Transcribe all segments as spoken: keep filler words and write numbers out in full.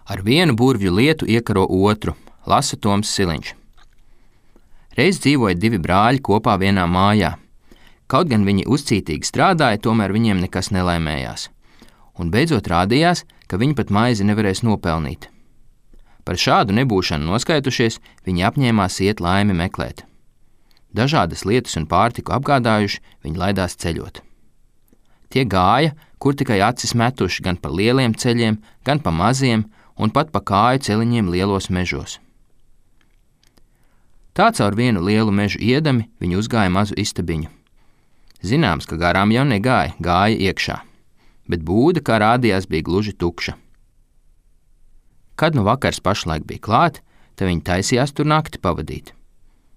Ar vienu burvju lietu iekaro otru, lasa Toms Siliņš. Reiz dzīvoja divi brāļi kopā vienā mājā. Kaut gan viņi uzcītīgi strādāja, tomēr viņiem nekas nelaimējās. Un beidzot rādījās, ka viņi pat maizi nevarēs nopelnīt. Par šādu nebūšanu noskaitušies, viņi apņēmās iet laimi meklēt. Dažādas lietas un pārtiku apgādājuši, viņi laidās ceļot. Tie gāja, kur tikai acis metuši gan pa lieliem ceļiem, gan pa maziem un pat pa kāju celiņiem lielos mežos. Tā caur vienu lielu mežu iedami viņi uzgāja mazu istabiņu. Zināms, ka garām jau negāja, gāja iekšā, bet būda, kā rādījās, bija gluži tukša. Kad nu vakars pašlaik bija klāt, tad viņi taisījās tur nakti pavadīt.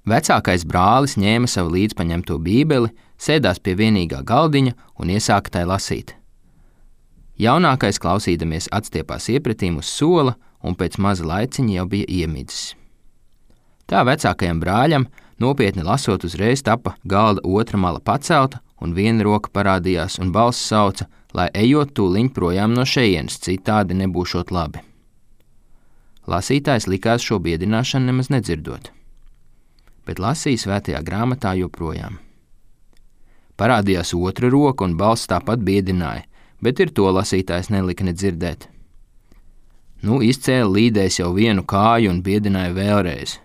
Vecākais brālis ņēma savu līdzpaņemto bībeli, sēdās pie vienīgā galdiņa un iesāka tai lasīt. Jaunākais klausīdamies atstiepās iepretīm uz sola un pēc maza laiciņa jau bija iemidzis. Tā vecākajam brāļam, nopietni lasot, uzreiz tapa galda otra mala pacelta un viena roka parādījās un balss sauca, lai ejot tūliņ projām no šejienes, citādi nebūšot labi. Lasītājs likās šo biedināšanu nemaz nedzirdot, bet lasīja svētajā grāmatā joprojām. Parādījās otra roka un balss tāpat biedināja, bet ir to lasītājs nelika nedzirdēt. Nu, izcēla līdējs jau vienu kāju un biedināja vēlreiz,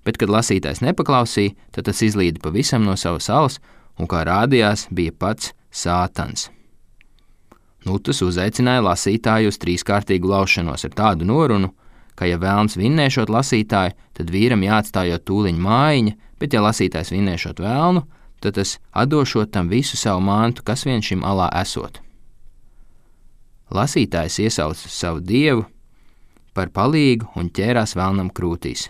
bet, kad lasītājs nepaklausīja, tad tas izlīda pavisam no savas salas un, kā rādījās, bija pats Sātans. Nu, tas uzaicināja lasītāju uz trīskārtīgu laušanos ar tādu norunu, ka, ja vēlns vinnēšot lasītāju, tad vīram jāatstājot tūliņ mājiņa, bet, ja lasītājs vinnēšot vēlnu, tad tas atdošot tam visu savu mantu, kas vien šim alā esot. Lasītājs iesauca savu dievu par palīgu un ķērās vēlnam krūtīs.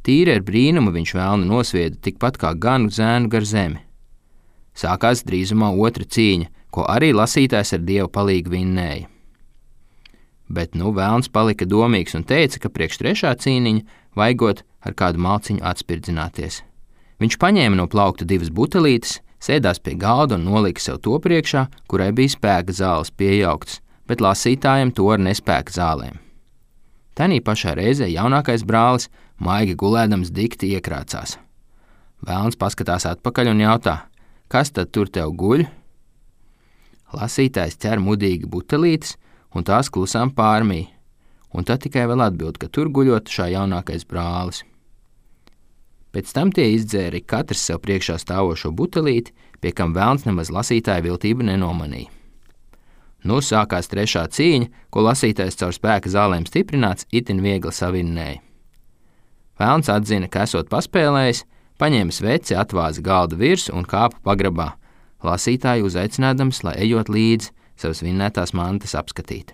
Tīri ar brīnumu viņš vēlnu nosvieda tikpat kā ganu zēnu gar zemi. Sākās drīzumā otra cīņa, ko arī lasītājs ar dievu palīgu vinnēja. Bet nu vēlns palika domīgs un teica, ka priekš trešā cīniņa vajagot ar kādu malciņu atspirdzināties. Viņš paņēma no plaukta divas butelītes, sēdās pie galda un nolika sev to priekšā, kurai bija spēka zāles piejauktas, bet lasītājiem to ar nespēka zālēm. Tanī pašā reizē jaunākais brālis maigi gulēdams dikti iekrācās. Vēlns paskatās atpakaļ un jautā, kas tad tur tev guļ? Lasītājs ķer mudīgi butelītes un tās klusām pārmī, un tad tikai vēl atbild, ka tur guļot šā jaunākais brālis. Pēc tam tie izdzēra katrs sev priekšā stāvošo butelīti, pie kam vēlns nemaz lasītāja viltību nenomanīja. Nu sākās trešā cīņa, ko lasītājs caur spēka zālēm stiprināts itin viegli savinnēja. Vēlns atzina, ka esot paspēlējis, paņēma sveci, atvāza galda virsmu un kāpa pagrabā, lasītāju uzaicinādams, lai ejot līdzi savas vinnētās mantas apskatīt.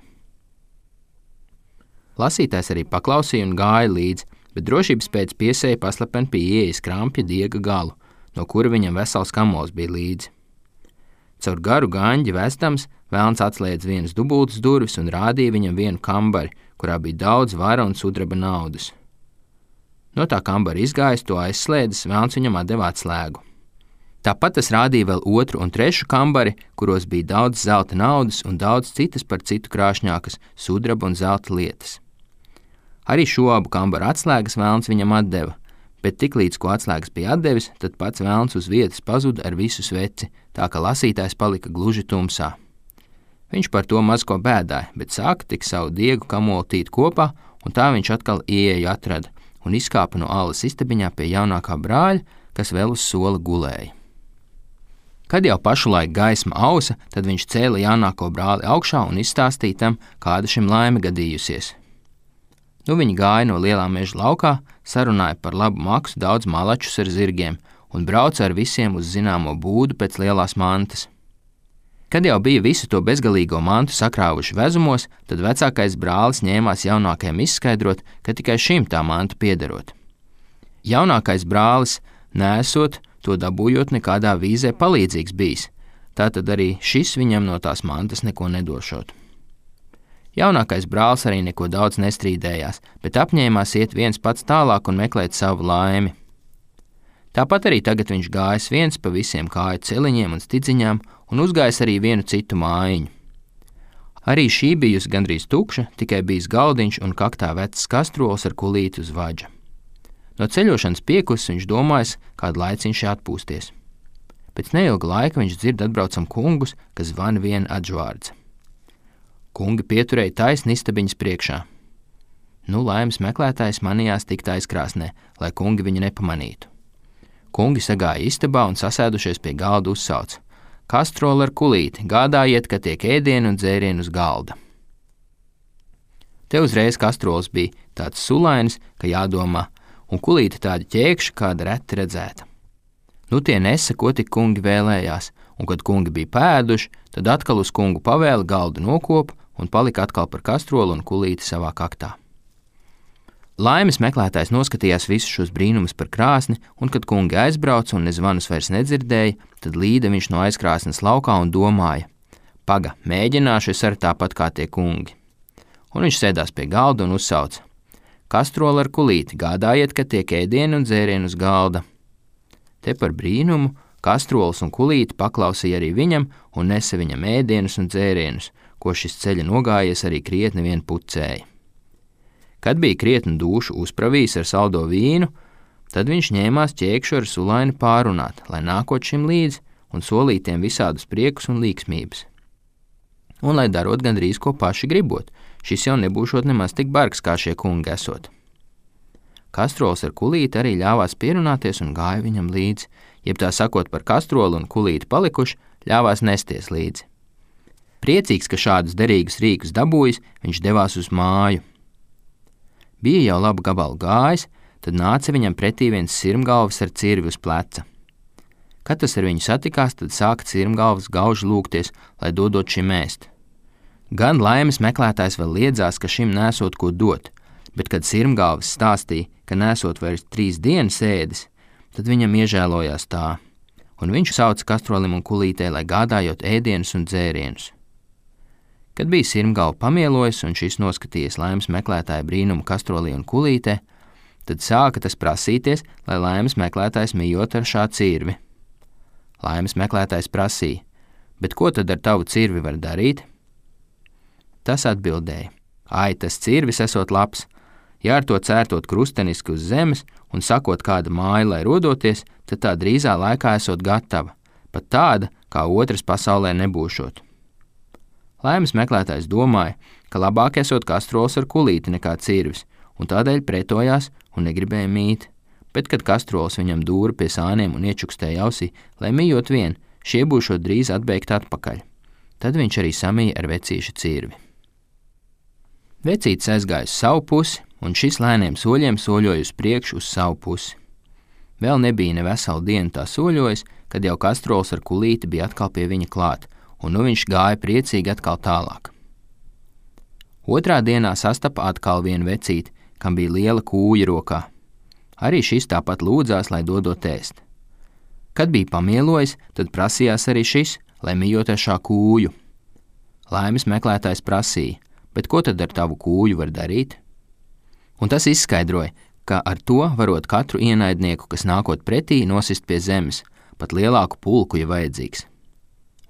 Lasītājs arī paklausīja un gāja līdzi, bet drošības pēc piesēja paslapen pie ieejas krampja diega galu, no kura viņam vesels kamols bija līdzi. Caur garu gaņģi vestams, vēlns atslēdz vienas dubultas durvis un rādīja viņam vienu kambari, kurā bija daudz vara un sudraba naudas. No tā kambara izgājis, to aizslēdzis, vēlns viņam atdeva atslēgu. Tāpat tas rādīja vēl otru un trešu kambari, kuros bija daudz zelta naudas un daudz citas par citu krāšņākas sudraba un zelta lietas. Arī šo abu kambaru atslēgas vēlns viņam atdeva, bet tiklīdz ko atslēgas bija atdevis, tad pats vēlns uz vietas pazuda ar visu sveci, tā ka lasītājs palika gluži tumsā. Viņš par to maz ko bēdāja, bet sāka tik savu diegu kamolu tīt kopā, un tā viņš atkal ieeju atrada un izkāpa no alas istabiņā pie jaunākā brāļa, kas vēl uz sola gulēja. Kad jau pašulaik gaisma ausa, tad viņš cēla jaunāko brāli augšā un izstāstīja tam, kāda šim laime gadījusies. Nu viņi gāja no lielā meža laukā, sarunāja par labu maksu daudz malačus ar zirgiem un brauca ar visiem uz zināmo būdu pēc lielās mantas. Kad jau bija visu to bezgalīgo mantu sakrāvuši vezumos, tad vecākais brālis ņēmās jaunākajam izskaidrot, ka tikai šim tā manta piederot. Jaunākais brālis, nesot, to dabūjot nekādā vīzē palīdzīgs bijis, tātad arī šis viņam no tās mantas neko nedošot. Jaunākais brālis arī neko daudz nestrīdējās, bet apņēmās iet viens pats tālāk un meklēt savu laimi. Tāpat arī tagad viņš gājis viens pa visiem kāju celiņiem un stidziņām un uzgājis arī vienu citu mājiņu. Arī šī bijusi gandrīz tukša, tikai bijis galdiņš un kaktā vecs kastrols ar kulīti uz vaģa. No ceļošanas piekusis viņš domājis, kādu laiciņš atpūsties. Pēc neilga laika viņš dzird atbraucam kungus, kas zvan vien atžvārdz. Kungi pieturēja taisni istabiņas priekšā. Nu, laimes meklētājs manījās tikt aizkrāsnē, lai kungi viņu nepamanītu. Kungi sagāja istabā un sasēdušies pie galda uzsauc: Kastrola ar kulīti, gādājiet, ka tiek ēdienu un dzērienu uz galda. Te uzreiz kastrols bija tāds sulainis, ka jādomā, un kulīti tāda ķēkša, kāda reti redzēta. Nu tie nesa, ko tik kungi vēlējās, un kad kungi bija pēduši, tad atkal uz kungu pavēli galdu nokopa un palika atkal par kastrolu un kulīti savā kaktā. Laimes meklētājs noskatījās visus šos brīnumus par krāsni, un kad kungi aizbrauca un nezvanus vairs nedzirdēja, tad līda viņš no aizkrāsnes laukā un domāja: paga, mēģināšu es ar tāpat kā tie kungi. Un viņš sēdās pie galda un uzsauca: Kastrola ar kulīti, gādājiet, ka tiek ēdienu un dzērienu uz galda. Te par brīnumu kastrols un kulīti paklausīja arī viņam un nesa viņam ēdienus un dzērienus, ko šis ceļa nogājies arī krietni vien pucēja. Kad bija krietni dūšu uzpravījis ar saldo vīnu, tad viņš ņēmās ķēkšu ar sulaini pārunāt, lai nākot šim līdzi un solītiem visādus priekus un līksmības. Un lai darot gandrīz ko paši gribot, šis jau nebūšot nemaz tik bargs, kā šie kungi esot. Kastrols ar kulīti arī ļāvās pierunāties un gāja viņam līdzi, jeb tā sakot par kastrolu un kulīti palikuši, ļāvās nesties līdzi. Priecīgs, ka šādus derīgus rīkus dabūjis, viņš devās uz māju. Bija jau labu gabalu gājis, tad nāca viņam pretī viens sirmgalvis ar cirvi uz pleca. Kad tas ar viņu satikās, tad sāka sirmgalvis gauži lūgties, lai dodot šim ēst. Gan laimes meklētājs vēl liedzās, ka šim nesot ko dot, bet kad sirmgalvis stāstīja, ka nesot vairs trīs dienas ēdis, tad viņam iežēlojās tā, un viņš sauca kastrolim un kulītei, lai gādājot ēdienus un dzērienus. Kad bija sirmgalva pamielojis un šis noskatījies laimes meklētāja brīnumu kastrolī un kulītē, tad sāka tas prasīties, lai laimes meklētājs mijot ar šā cirvi. Laimes meklētājs prasīja: bet ko tad ar tavu cirvi var darīt? Tas atbildēja: ai, tas cirvis esot labs, ja ar to cērtot krusteniski uz zemes un sakot kāda māja, lai rodoties, tad tā drīzā laikā esot gatava, pat tāda, kā otras pasaulē nebūšot. Laimes meklētājs domāja, ka labāk esot kastrols ar kulīti nekā cirvis, un tādēļ pretojās un negribēja mīt, bet kad kastrols viņam dūra pie sāniem un iečukstēja ausī, lai mijot vien, šie būšot drīz atbēgt atpakaļ. Tad viņš arī samīja ar vecīša cirvi. Vecītis aizgāja uz savu pusi, un šis lēniem soļiem soļoja uz priekšu uz savu pusi. Vēl nebija ne veselu dienu tā soļojis, kad jau kastrols ar kulīti bija atkal pie viņa klāt, un nu viņš gāja priecīgi atkal tālāk. Otrā dienā sastapa atkal vienu vecīti, kam bija liela kūja rokā. Arī šis tāpat lūdzās, lai dodot ēst. Kad bija pamielojis, tad prasījās arī šis, lai mijot ar šā kūju. Laimes meklētājs prasīja: bet ko tad ar tavu kūju var darīt? Un tas izskaidroja, ka ar to varot katru ienaidnieku, kas nākot pretī, nosist pie zemes, pat lielāku pulku, ja vajadzīgs.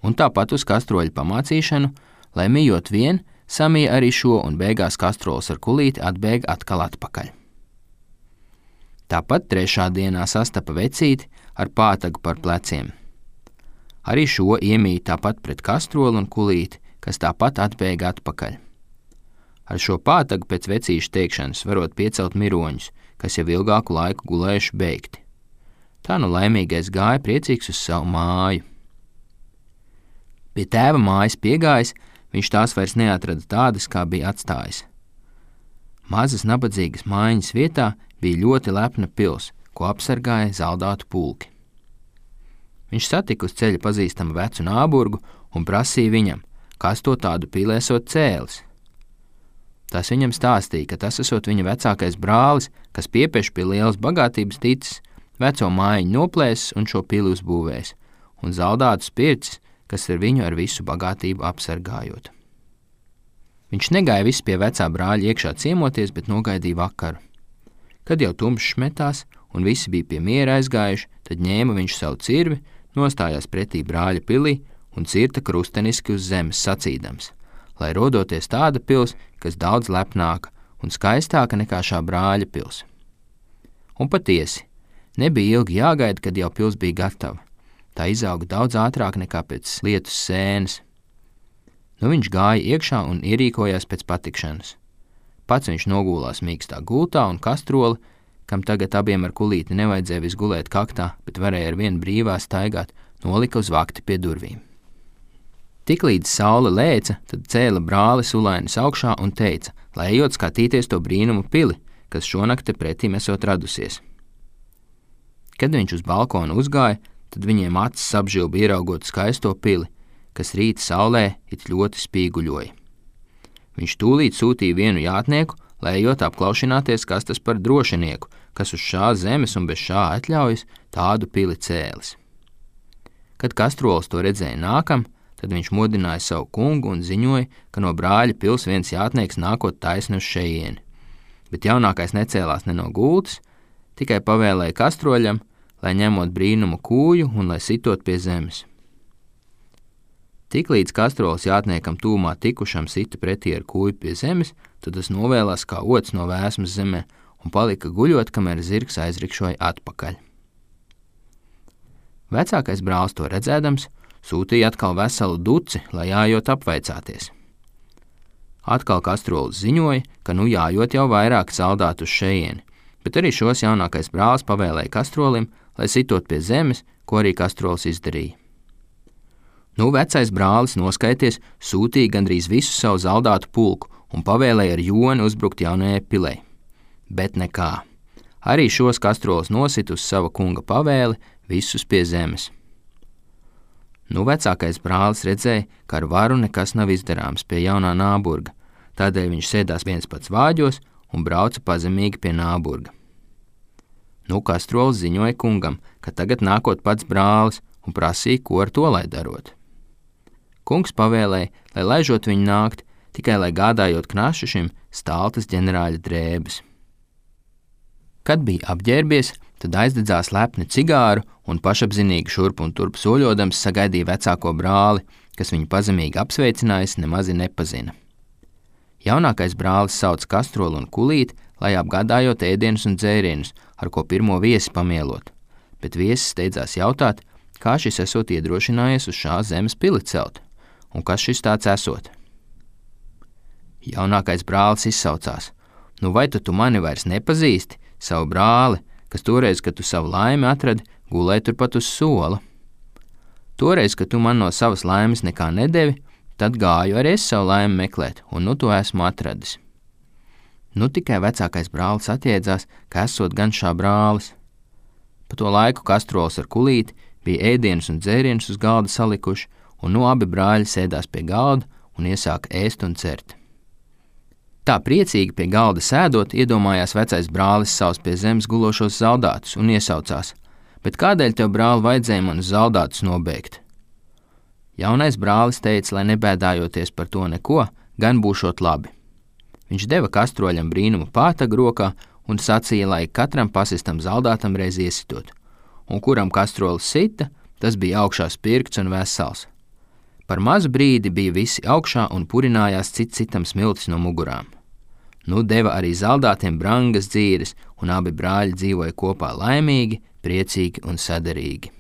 Un tāpat uz kastroļa pamācīšanu, lai mijot vien, samīja arī šo, un beigās kastrols ar kulīti atbēga atkal atpakaļ. Tāpat trešā dienā sastapa vecīti ar pātagu par pleciem. Arī šo iemīja tāpat pret kastroli un kulīti, kas tāpat atbēga atpakaļ. Ar šo pātagu pēc vecīša teikšanas varot piecelt miroņus, kas jau ilgāku laiku gulējuši beigti. Tā nu laimīgais gāja priecīgs uz savu māju. Pie tēva mājas piegājis, viņš tās vairs neatrada tādas, kā bija atstājis. Mazas nabadzīgas mājiņas vietā bija ļoti lepna pils, ko apsargāja zaldātu pulki. Viņš satika uz ceļa pazīstamu vecu nāburgu un prasīja viņam, kas to tādu pili esot cēlis. Tas viņam stāstīja, ka tas esot viņa vecākais brālis, kas piepieši pie lielas bagātības ticis, veco mājiņu noplēsis un šo pili uzbūvējis, un zaldātu spircis, kas ar viņu ar visu bagātību apsargājot. Viņš negāja viss pie vecā brāļa iekšā ciemoties, bet nogaidīja vakaru. Kad jau tumšs metās un visi bija pie miera aizgājuši, tad ņēma viņš savu cirvi, nostājās pretī brāļa pilī un cirta krusteniski uz zemes sacīdams: lai rodoties tāda pils, kas daudz lepnāka un skaistāka nekā šā brāļa pils. Un patiesi, nebija ilgi jāgaida, kad jau pils bija gatava. Tā izauga daudz ātrāk nekā pēc lietus sēnes. Nu viņš gāja iekšā un ierīkojās pēc patikšanas. Pats viņš nogulās mīkstā gultā un kastroli, kam tagad abiem ar kulīti nevajadzēja vis gulēt kaktā, bet varēja ar vienu brīvā staigāt, nolika uz vakti pie durvīm. Tiklīdz saule lēca, tad cēla brāli sulainis augšā un teica, lai ejot skatīties to brīnumu pili, kas šonakt te pretīm esot radusies. Kad viņš uz balkonu uzgāja, tad viņiem acis apžilba ieraugot skaisto pili, kas rīta saulē it ļoti spīguļoja. Viņš tūlīt sūtīja vienu jātnieku, lai ejot apklaušināties, kas tas par drošinieku, kas uz šā zemes un bez šā atļaujas tādu pili cēlis. Kad kastrols to redzēja nākam, tad viņš modināja savu kungu un ziņoja, ka no brāļa pils viens jātnieks nākot taisni uz šejieni. Bet jaunākais necēlās ne no gultas, tikai pavēlēja kastroļam, lai ņemot brīnumu kūju un lai sitot pie zemes. Tiklīdz kastrols jātniekam tūmā tikušam sita pretī ar kūju pie zemes, tad tas novēlās kā ots no vēsmas zemē un palika guļot, kamēr zirgs aizrikšoja atpakaļ. Vecākais brālis to redzēdams, sūtīja atkal veselu duci, lai jājot apvaicāties. Atkal kastrolis ziņoja, ka nu jājot jau vairāk saldātu uz šejieni, bet arī šos jaunākais brālis pavēlēja kastrolim, lai sitot pie zemes, ko arī kastrolis izdarīja. Nu vecais brālis noskaities sūtīja gandrīz visu savu zaldātu pulku un pavēlēja ar joni uzbrukt jaunajai pilei. Bet nekā. Arī šos kastrolis nosit uz sava kunga pavēli visus pie zemes. Nu vecākais brālis redzēja, ka ar varu nekas nav izdarāms pie jaunā Nāburga, tādēļ viņš sēdās viens pats vāģos un brauca pazemīgi pie Nāburga. Nu kastrolis ziņoja kungam, ka tagad nākot pats brālis un prasīja, ko ar to lai darot. Kungs pavēlēja, lai laižot viņu nākt, tikai lai gādājot knašu šim stāltas ģenerāļa drēbes. Kad bija apģērbies, tad aizdedzās lepni cigāru un pašapzinīgi šurp un turp soļodams sagaidīja vecāko brāli, kas viņu pazemīgi apsveicinājis nemazi nepazina. Jaunākais brālis sauc kastroli un kulīti, lai apgādājot ēdienus un dzērienus, ar ko pirmo viesi pamielot, bet viesis steidzās jautāt, kā šis esot iedrošinājies uz šā zemes pili celt, un kas šis tāds esot. Jaunākais brālis izsaucās, nu vai tu, tu mani vairs nepazīsti, savu brāli, kas toreiz, kad tu savu laimi atradi, gulēja turpat uz sola. Toreiz, kad tu man no savas laimes nekā nedevi, tad gāju arī es savu laimi meklēt, un nu to esmu atradis. Nu tikai vecākais brālis atjēdzās, ka esot gan šā brālis. Pa to laiku kastrols ar kulīti bija ēdienus un dzērienus uz galda salikuši, un nu abi brāļi sēdās pie galda un iesāka ēst un cert. Tā priecīgi pie galda sēdot, iedomājās vecais brālis savus pie zemes gulošos zaldātus un iesaucās, bet kādēļ tev, brāli, vajadzēja man uz zaldātus nobēgt? Jaunais brālis teica, lai nebēdājoties par to neko, gan būšot labi. Viņš deva kastroļam brīnumu pātagu rokā un sacīja, lai katram pasistam zaldātam reiz iesitot, un kuram kastrolis sita, tas bija augšā spirkts un vesels. Par mazu brīdi bija visi augšā un purinājās cits citam smiltis no mugurām. Nu deva arī zaldātiem brangas dzīres, un abi brāļi dzīvoja kopā laimīgi, priecīgi un saderīgi.